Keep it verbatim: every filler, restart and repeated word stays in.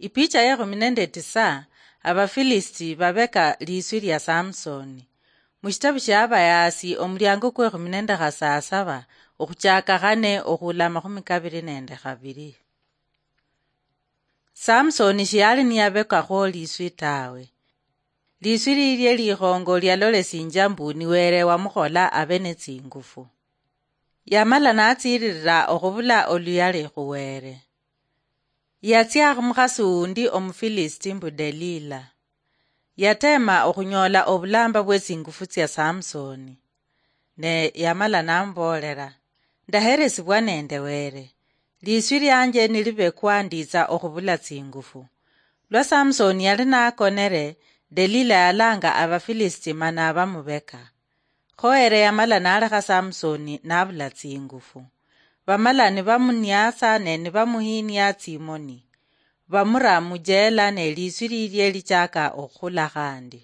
Ipicha yekhumi nende tisa. Abafilisiti babeka liswi lia Samsoni. Mushitabu shia Abayaasi, omuliango kwekhumi nende khasasaba, okhuchaka khane okhula amakhumi kabiri nende khabiri. Samsoni shiyali niyabekakhwo liswi tawe. Liswi lilie likhongo lialolesinjia mbu ni Wele wamukhola abe ne tsingufu. Yamala natsiililila okhubula oluyali khu Wele. Yatsia khumukhasi wundi Omufilisiti mbu Delila. Yateema okhunyola obulamba bwe tsingufu tsia Samsoni. Ne yamala namuboolela, "Ndaheresibwa nende Wele. Liswi lianje nilibekwa, nditsa okhubula tsingufu." Lwa Samsoni yali nakonele, Delila yalanga Abafilisiti mana bamubeka. Kho Wele yamala nalekha Samsoni nabula tsingufu. Bamala nibamuniasa ne nibamuhinia tsimoni. Bamura mujela ne liswi lilie lichaka okhula khandi.